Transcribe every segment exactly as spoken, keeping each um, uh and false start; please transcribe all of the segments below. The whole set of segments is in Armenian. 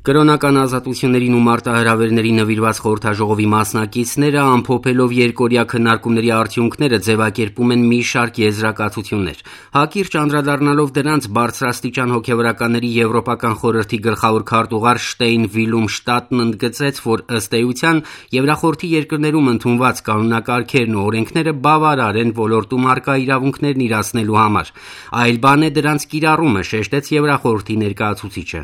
Կրոնական ազատություններին ու մարտահրավերների նվիրված խորհրդաժողովի մասնակիցները ամփոփելով երկօրյա քննարկումների արդյունքները ձևակերպում են մի շարք եզրակացություններ։ Հակիրճ անդրադառնալով դրանց, բարձրաստիճան հոգևորականների Եվրոպական խորհրդի գլխավոր քարտուղար Շտեյն Վիլում Շտատն ընդգծեց, որ ըստ էության Եվրախորհրդի երկրներում ընդունված կանոնակարգերն ու օրենքները բավարար են ոլորտում առկա իրավունքներն իրացնելու համար։ Այլ բան է դրանց կիրառումը, շեշտեց Եվրախորհրդի ներկայացուցիչը։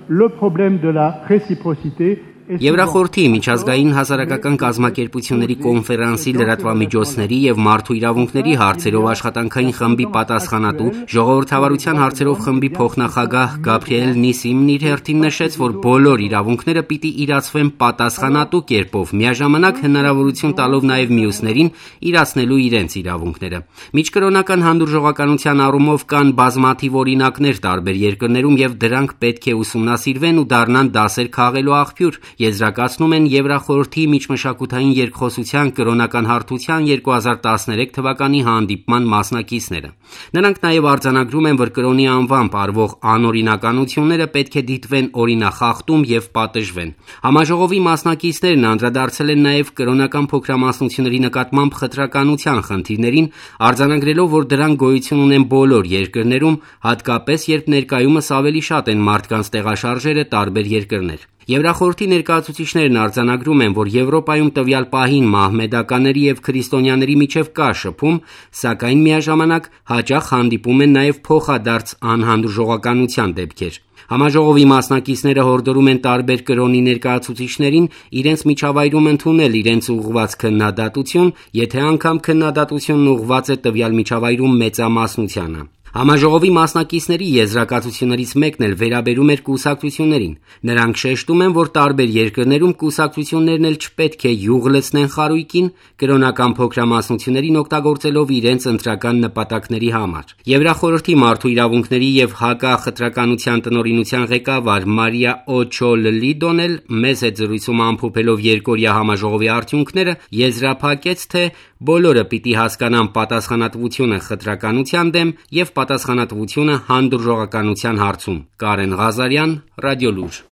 Le problème de la réciprocité Եվրախորհրդի միջազգային հասարակական կազմակերպությունների կոնֆերանսի լրատվամիջոցների և մարդու իրավունքների հարցերով աշխատանքային խմբի պատասխանատու, ժողովրդավարության հարցերով խմբի փոխնախագահ Գաբրիել Նիսիմն իր հերթին նշեց, որ բոլոր իրավունքները պիտի իրացվեն պատասխանատու կերպով, միաժամանակ հնարավորություն տալով նաև մյուսներին իրացնելու իրենց իրավունքները։ Միջկրոնական հանդուրժողականության առումով կան բազմաթիվ օրինակներ տարբեր երկրներում և դրանք պետք է ուսումնասիրվեն ու դառնան դասեր քաղելու աղբյուր, եզրակացնում են Եվրախորհրդի միջմշակութային երկխոսության կրոնական հարթության երկու հազար տասներեք թվականի հանդիպման մասնակիցները։ Նրանք նաև արձանագրում են, որ կրոնի անվամբ արվող անօրինականությունները պետք է դիտվեն օրինախախտում և պատժվեն։ Համաժողովի մասնակիցներն անդրադարձել են նաև կրոնական փոքրամասնությունների նկատմամբ խտրականության խնդիրներին, արձանագրելով, որ դրանք գոյություն ունեն բոլոր երկրներում, հատկապես երբ ներկայումս ավելի շատ են մարդկանց տեղաշարժերը տարբեր երկրներ։ Եվրախորհրդի ներկայացուցիչներն արձանագրում են, որ Եվրոպայում տվյալ պահին մահմեդականների և քրիստոնյաների միջև կա շփում, սակայն միաժամանակ հաճախ հանդիպում են նաև փոխադարձ անհանդուրժողականության դեպքեր։ Համաժողովի մասնակիցները հորդորում են տարբեր կրոնի ներկայացուցիչներին իրենց միջավայրում ընդունել իրենց ուղղված քննադատություն, եթե անգամ քննադատությունն ուղղված է տվյալ միջավայրում մեծամասնությանը։ Համաժողովի մասնակիցների եզրակացություններից մեկն էլ վերաբերում էր կուսակցություններին։ Նրանք շեշտում են, որ տարբեր երկրներում կուսակցություններն էլ չպետք է յուղ լցնեն խարույկին, կրոնական փոքրամասնություններին օգտագործելով իրենց ընտրական նպատակների համար։ Եվրախորհրդի մարդու իրավունքների և հակախտրականության տնօրինության ղեկավար Մարիա Օչոլլիդոն էլ մեծ զրույցում ամփոփելով երկօրյա համաժողովի արդյունքները եզրափակեց, թե բոլորը պիտի հասկանան պատասխանատվությունը խտրականության դեմ և պատասխանատվությունը հանդուրժողականության հարցում։ Կարեն Ղազարյան, Ռադիոլուր։